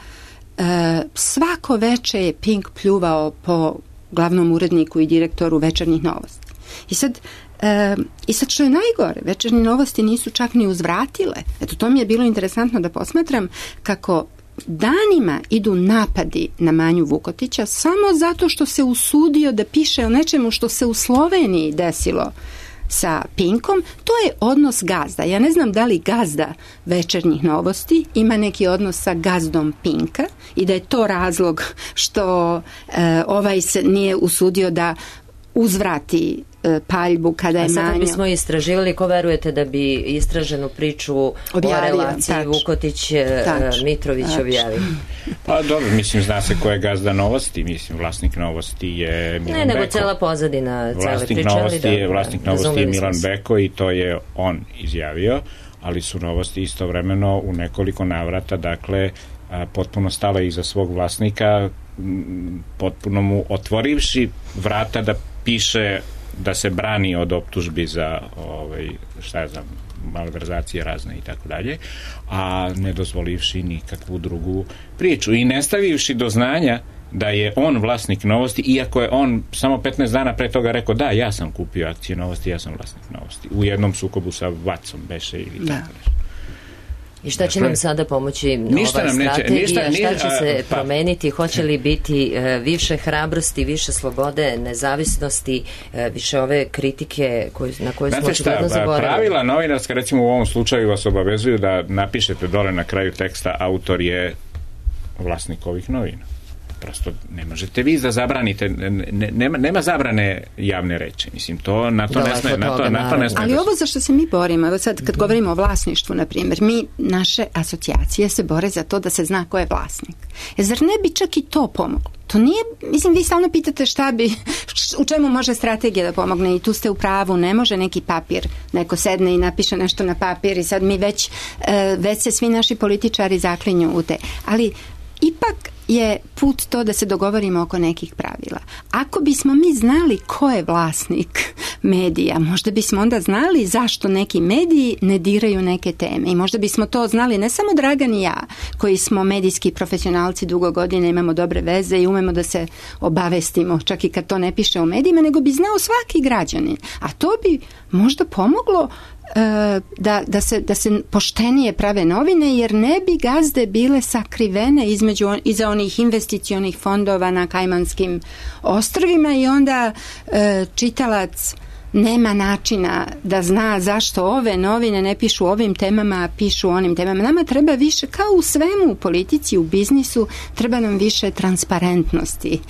svako veče je Pink pljuvao po glavnom uredniku i direktoru Večernjih novosti. I sad što je najgore, Večernje novosti nisu čak ni uzvratile. Eto, to mi je bilo interesantno da posmatram kako danima idu napadi na Manju Vukotića samo zato što se usudio da piše o nečemu što se u Sloveniji desilo sa Pinkom. To je odnos gazda. Ja ne znam da li gazda Večernjih novosti ima neki odnos sa gazdom Pinka i da je to razlog što ovaj se nije usudio da uzvrati paljbu kada je Manjo.
A sad bismo istraživali, ko verujete da bi istraženu priču o relaciji Vukotić-Mitrović objavio?
Pa dobro, mislim, zna se ko je gazda Novosti, mislim, vlasnik Novosti je Milan Beko.
Ne, nego cela pozadina cele priče.
Vlasnik Novosti je Milan Beko i to je on izjavio, ali su Novosti istovremeno u nekoliko navrata, dakle, potpuno stala iza svog vlasnika, potpuno mu otvorivši vrata da piše, da se brani od optužbi za malverzacije razne i tako dalje, a ne dozvolivši nikakvu drugu priču i ne stavivši do znanja da je on vlasnik Novosti, iako je on samo 15 dana pre toga rekao da, ja sam kupio akcije Novosti, ja sam vlasnik Novosti. U jednom sukobu sa Vacom beše ili tako nešto.
I šta će nam sada pomoći nova strategija? Šta će se promeniti? Hoće li biti više hrabrosti, više slobode, nezavisnosti, više ove kritike na koje smo očigledno zaboravili?
Pravila novinarska, recimo u ovom slučaju, vas obavezuju da napišete dole na kraju teksta autor je vlasnik ovih novina. Prosto ne možete vi da zabranite, nema zabrane javne reči, mislim, to na to ne sme.
Ali ovo za što se mi borimo, evo sad kad govorimo o vlasništvu, na primjer, naše asocijacije se bore za to da se zna ko je vlasnik. Zar ne bi čak i to pomoglo? To nije, mislim, vi stalno pitate u čemu može strategija da pomogne i tu ste u pravu, ne može neki papir, neko sedne i napiše nešto na papir i sad mi već se svi naši političari zaklinju u te. Ali ipak je put to da se dogovorimo oko nekih pravila. Ako bismo mi znali ko je vlasnik medija, možda bismo onda znali zašto neki mediji ne diraju neke teme. I možda bismo to znali ne samo Dragan i ja, koji smo medijski profesionalci dugo godina, imamo dobre veze i umemo da se obavestimo, čak i kad to ne piše u medijima, nego bi znao svaki građanin. A to bi možda pomoglo da se poštenije prave novine, jer ne bi gazde bile sakrivene iza onih investicionih fondova na Kajmanskim ostrvima i onda čitalac nema načina da zna zašto ove novine ne pišu o ovim temama, a pišu o onim temama. Nama treba više, kao u svemu, u politici, u biznisu, treba nam više transparentnosti.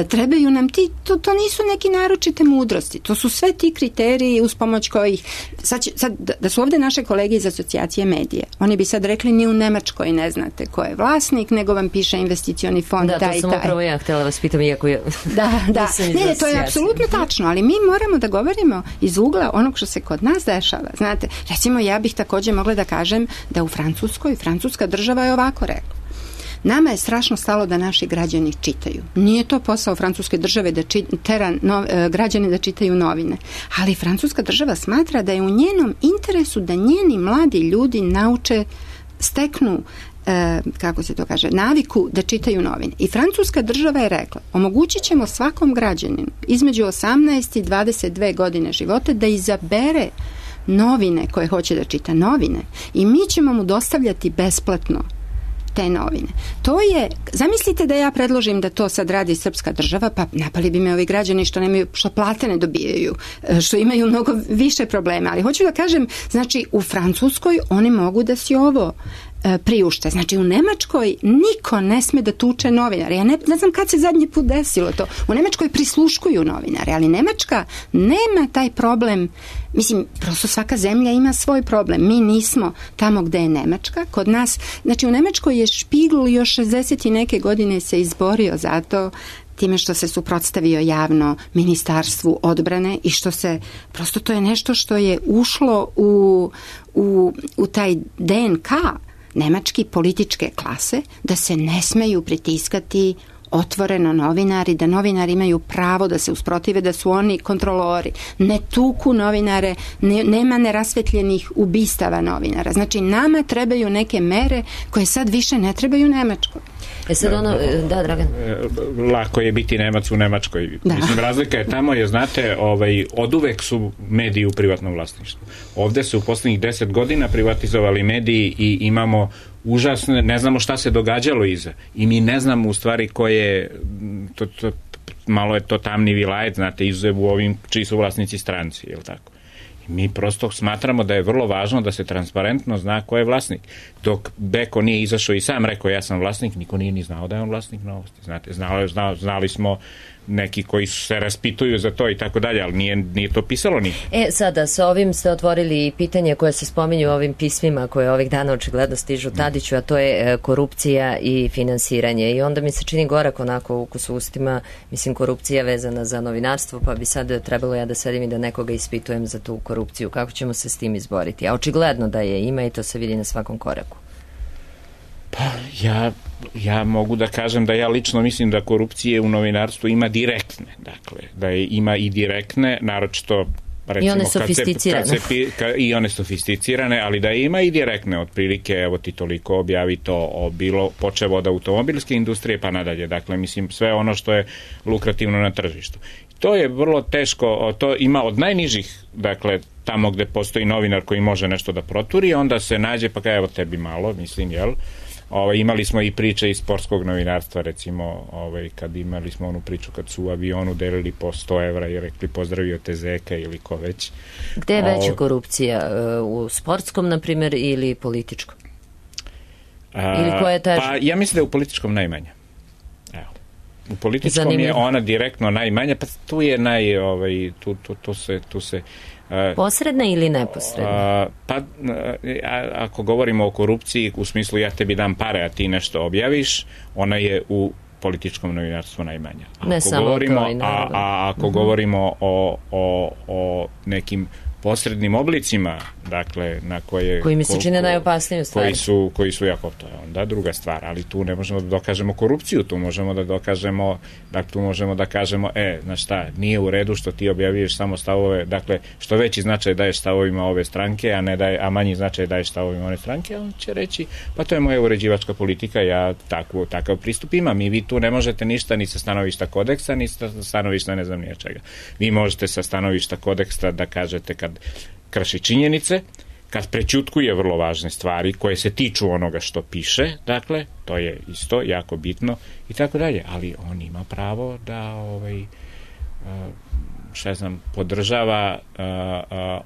Trebaju nam to nisu neki naročite mudrosti. To su sve ti kriteriji uz pomoć kojih... Sad da su ovdje naše kolege iz asocijacije medije, oni bi sad rekli ni u Nemačkoj ne znate ko je vlasnik, nego vam piše investicioni fond taj i taj.
Da, to sam upravo ja htjela vas pitam, iako je...
Da. Ne, to je apsolutno tačno, ali mi moramo da govorimo iz ugla onog što se kod nas dešava. Znate, recimo ja bih također mogla da kažem da u Francuskoj, francuska država je ovako rekla. Nama je strašno stalo da naši građani čitaju. Nije to posao francuske države da tera građane da čitaju novine. Ali francuska država smatra da je u njenom interesu da njeni mladi ljudi steknu kako se to kaže, naviku da čitaju novine. I francuska država je rekla, omogućit ćemo svakom građaninu između 18 i 22 godine života da izabere novine koje hoće da čita, novine, i mi ćemo mu dostavljati besplatno te novine. To je, zamislite da ja predložim da to sad radi srpska država, pa napali bi me ovi građani što plate ne dobijaju, što imaju mnogo više problema. Ali hoću da kažem, znači u Francuskoj oni mogu da si ovo priušte. Znači u Nemačkoj niko ne sme da tuče novinare. Ja ne znam kad se zadnji put desilo to. U Nemačkoj prisluškuju novinare, ali Nemačka nema taj problem. Mislim, prosto svaka zemlja ima svoj problem. Mi nismo tamo gde je Nemačka. Kod nas, znači u Nemačkoj je Špigl još 60 i neke godine se izborio za to time što se suprotstavio javno Ministarstvu odbrane i što se, prosto to je nešto što je ušlo u taj DNK nemački političke klase, da se ne smeju pritiskati otvoreno novinari, da novinari imaju pravo da se usprotive, da su oni kontrolori. Ne tuku novinare, nema nerasvetljenih ubistava novinara. Znači, nama trebaju neke mere koje sad više ne trebaju Nemačkoj.
Sad da, Dragan.
Lako je biti Nemac u Nemačkoj. Da. Mislim, razlika je tamo, jer znate, oduvek su mediji u privatnom vlasništvu. Ovde su u poslednjih 10 godina privatizovali mediji i imamo užasne, ne znamo šta se događalo iza. I mi ne znamo u stvari koje, malo je to tamni vilajet, znate, izuzev u ovim čiji su vlasnici stranci, je li tako? I mi prosto smatramo da je vrlo važno da se transparentno zna ko je vlasnik. Dok Beko nije izašao i sam rekao ja sam vlasnik, niko nije ni znao da je on vlasnik Novosti. Znate, znali smo neki koji se raspituju za to i tako dalje, ali nije to pisalo nikad.
Sada, sa ovim ste otvorili pitanje koje se spominju u ovim pismima koje ovih dana očigledno stižu Tadiću, a to je korupcija i finansiranje. I onda mi se čini gorak onako ukus u ustima, mislim, korupcija vezana za novinarstvo, pa bi sad trebalo ja da sedim i da nekoga ispitujem za tu korupciju. Kako ćemo se s tim izboriti? A očigledno da je ima i to se vidi na svakom koraku.
Pa ja mogu da kažem da ja lično mislim da korupcije u novinarstvu ima direktne, dakle, da je ima i direktne, naročito recimo,
i one sofisticirane.
I one sofisticirane, ali da ima i direktne, otprilike, evo ti toliko objavi to bilo počevo od automobilske industrije pa nadalje, dakle, mislim, sve ono što je lukrativno na tržištu. To je vrlo teško, to ima od najnižih, dakle, tamo gde postoji novinar koji može nešto da proturi, onda se nađe, pa evo tebi malo, mislim, jel? Imali smo i priče iz sportskog novinarstva, recimo, kad imali smo onu priču kad su u avionu delili po 100 evra i rekli pozdravio te Zeka ili ko već.
Gde je veća korupcija? U sportskom, na primjer, ili političkom? Ili koja je teža?
Pa ja mislim da je u političkom najmanja. Evo. U političkom je ona direktno najmanja, pa tu je tu se
posredna ili neposredna?
Pa ako govorimo o korupciji u smislu ja tebi dam pare a ti nešto objaviš, ona je u političkom novinarstvu najmanja.
Ne samo to i naravno.
A ako govorimo o nekim posrednim oblicima, dakle, na
koji mi se čine najopasniju stvari.
Koji su jako, to je onda druga stvar, ali tu ne možemo da dokažemo korupciju, tu možemo da dokažemo, dakle, tu možemo da kažemo, znaš šta, nije u redu što ti objavljuješ samo stavove, dakle, što veći značaj daješ stavovima ove stranke, a manji značaj daješ stavovima one stranke, on će reći, pa to je moja uređivačka politika, ja takav pristup imam i vi tu ne možete ništa ni sa stanovišta kodeksa, ni sa stanovišta ne znam nije čega. Vi možete sa stanovišta kodeksa da kažete kad krši činjenice, kad prećutkuje vrlo važne stvari koje se tiču onoga što piše, dakle, to je isto jako bitno i tako dalje, ali on ima pravo da podržava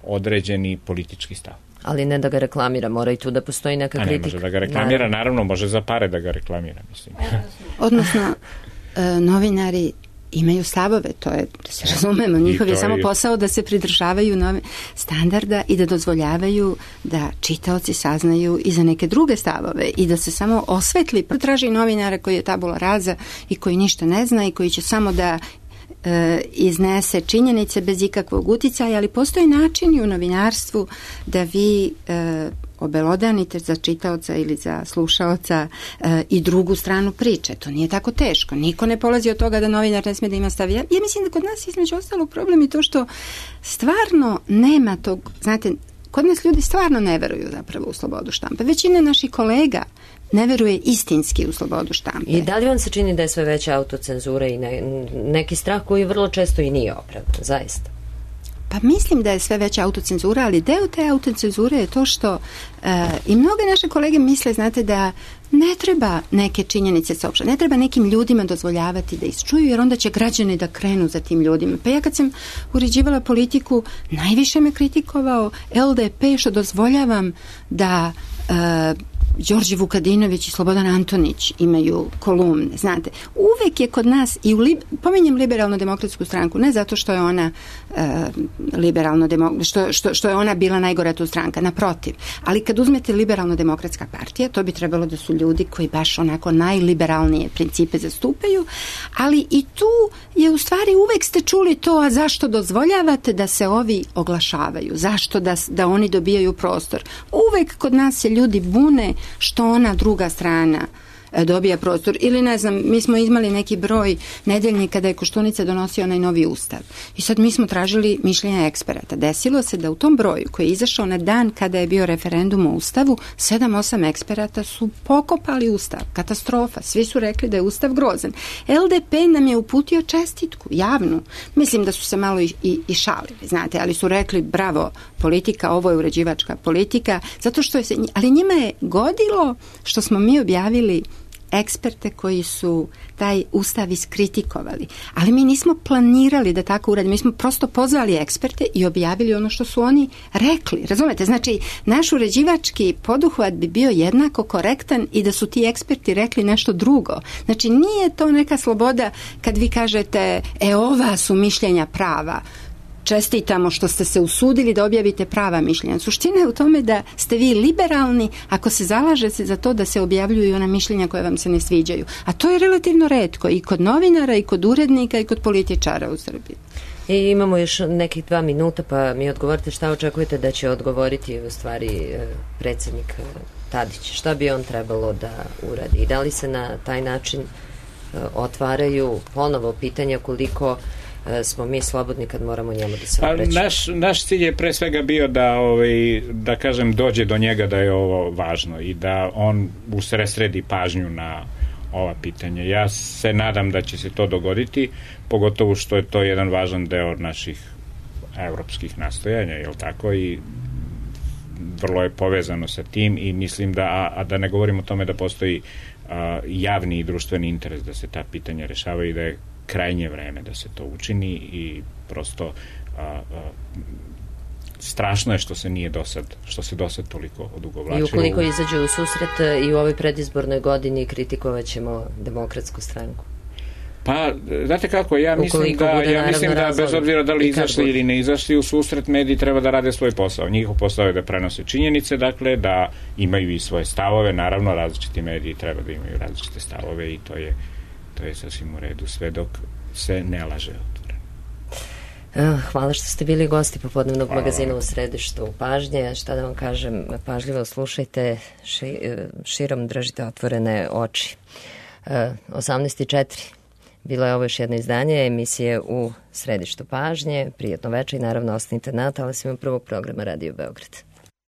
određeni politički stav.
Ali ne da ga reklamira, mora i tu da postoji neka kritika.
Ne može da ga reklamira, naravno može za pare da ga reklamira, mislim.
Odnosno, novinari imaju stavove, to je, da se razumemo, njihov je samo posao da se pridržavaju standarda i da dozvoljavaju da čitaoci saznaju i za neke druge stavove i da se samo osvetli. Traži novinara koji je tabula rasa i koji ništa ne zna i koji će samo da iznese činjenice bez ikakvog uticaja, ali postoji način u novinarstvu da vi obelodanite za čitaoca ili za slušaoca i drugu stranu priče. To nije tako teško. Niko ne polazi od toga da novinar ne smije da ima stav. Ja mislim da kod nas između ostalog problem je to što stvarno nema tog, znate, kod nas ljudi stvarno ne veruju zapravo u slobodu štampe. Većina naših kolega ne veruje istinski u slobodu štampe.
I da li vam se čini da je sve veća autocenzura i neki strah koji vrlo često i nije opravdan, zaista?
Pa mislim da je sve veća autocenzura, ali deo te autocenzure je to što i mnoge naše kolege misle, znate, da ne treba neke činjenice saopštiti, ne treba nekim ljudima dozvoljavati da isčuju, jer onda će građani da krenu za tim ljudima. Pa ja kad sam uređivala politiku, najviše me kritikovao LDP što dozvoljavam da Đorđe Vukadinović i Slobodan Antonić imaju kolumne, znate. Uvek je kod nas, i pominjem liberalno-demokratsku stranku, ne zato što je ona što je ona bila najgora tu stranka, naprotiv. Ali kad uzmete liberalno-demokratska partija, to bi trebalo da su ljudi koji baš onako najliberalnije principe zastupaju, ali i tu je u stvari uvek ste čuli to, a zašto dozvoljavate da se ovi oglašavaju? Zašto da oni dobijaju prostor? Uvek kod nas se ljudi bune što ona druga strana dobija prostor. Ili ne znam, mi smo imali neki broj nedeljnika kada je Koštunica donosio onaj novi ustav. I sad mi smo tražili mišljenja eksperata. Desilo se da u tom broju koji je izašao na dan kada je bio referendum o ustavu, 7-8 eksperata su pokopali ustav. Katastrofa. Svi su rekli da je ustav grozan. LDP nam je uputio čestitku, javnu. Mislim da su se malo i šalili, znate, ali su rekli bravo, politika, ovo je uređivačka politika, zato što ali njima je godilo što smo mi objavili eksperte koji su taj ustav iskritikovali. Ali mi nismo planirali da tako uradimo. Mi smo prosto pozvali eksperte i objavili ono što su oni rekli. Razumete? Znači, naš uređivački poduhvat bi bio jednako korektan i da su ti eksperti rekli nešto drugo. Znači, nije to neka sloboda kad vi kažete, ova su mišljenja prava. Čestitamo što ste se usudili da objavite prava mišljenja. Suština je u tome da ste vi liberalni ako se zalažete za to da se objavljuju ona mišljenja koje vam se ne sviđaju. A to je relativno retko i kod novinara, i kod urednika, i kod političara u Srbiji.
I imamo još nekih 2 minuta, pa mi odgovorite šta očekujete da će odgovoriti u stvari predsjednik Tadić. Šta bi on trebalo da uradi? I da li se na taj način otvaraju ponovo pitanja koliko smo mi slobodni kad moramo njemu da se obraćamo?
Naš cilj je pre svega bio da kažem dođe do njega da je ovo važno i da on usredsredi pažnju na ova pitanja. Ja se nadam da će se to dogoditi, pogotovo što je to jedan važan deo naših evropskih nastojanja, jel tako, i vrlo je povezano sa tim i mislim da ne govorim o tome da postoji javni i društveni interes da se ta pitanja rešavaju i da je krajnje vreme da se to učini i prosto strašno je što se dosad toliko odugovlačilo.
I ukoliko izađu u susret i u ovoj predizbornoj godini kritikovat ćemo Demokratsku stranku.
Pa, znate kako, ja mislim da bez obzira da li izašli ili ne izašli u susret, mediji treba da rade svoj posao. Njihov posao je da prenose činjenice, dakle, da imaju i svoje stavove, naravno različiti mediji treba da imaju različite stavove i to je sasvim u redu, sve dok se ne laže otvoreno.
Hvala što ste bili gosti popodnevnog magazina u Središtu pažnje. Šta da vam kažem, pažljivo slušajte, širom držite otvorene oči. 18:04. Bilo je ovo još jedno izdanje emisije u Središtu pažnje. Prijatno večer i naravno ostanite na talasima prvog programa Radio Beograd.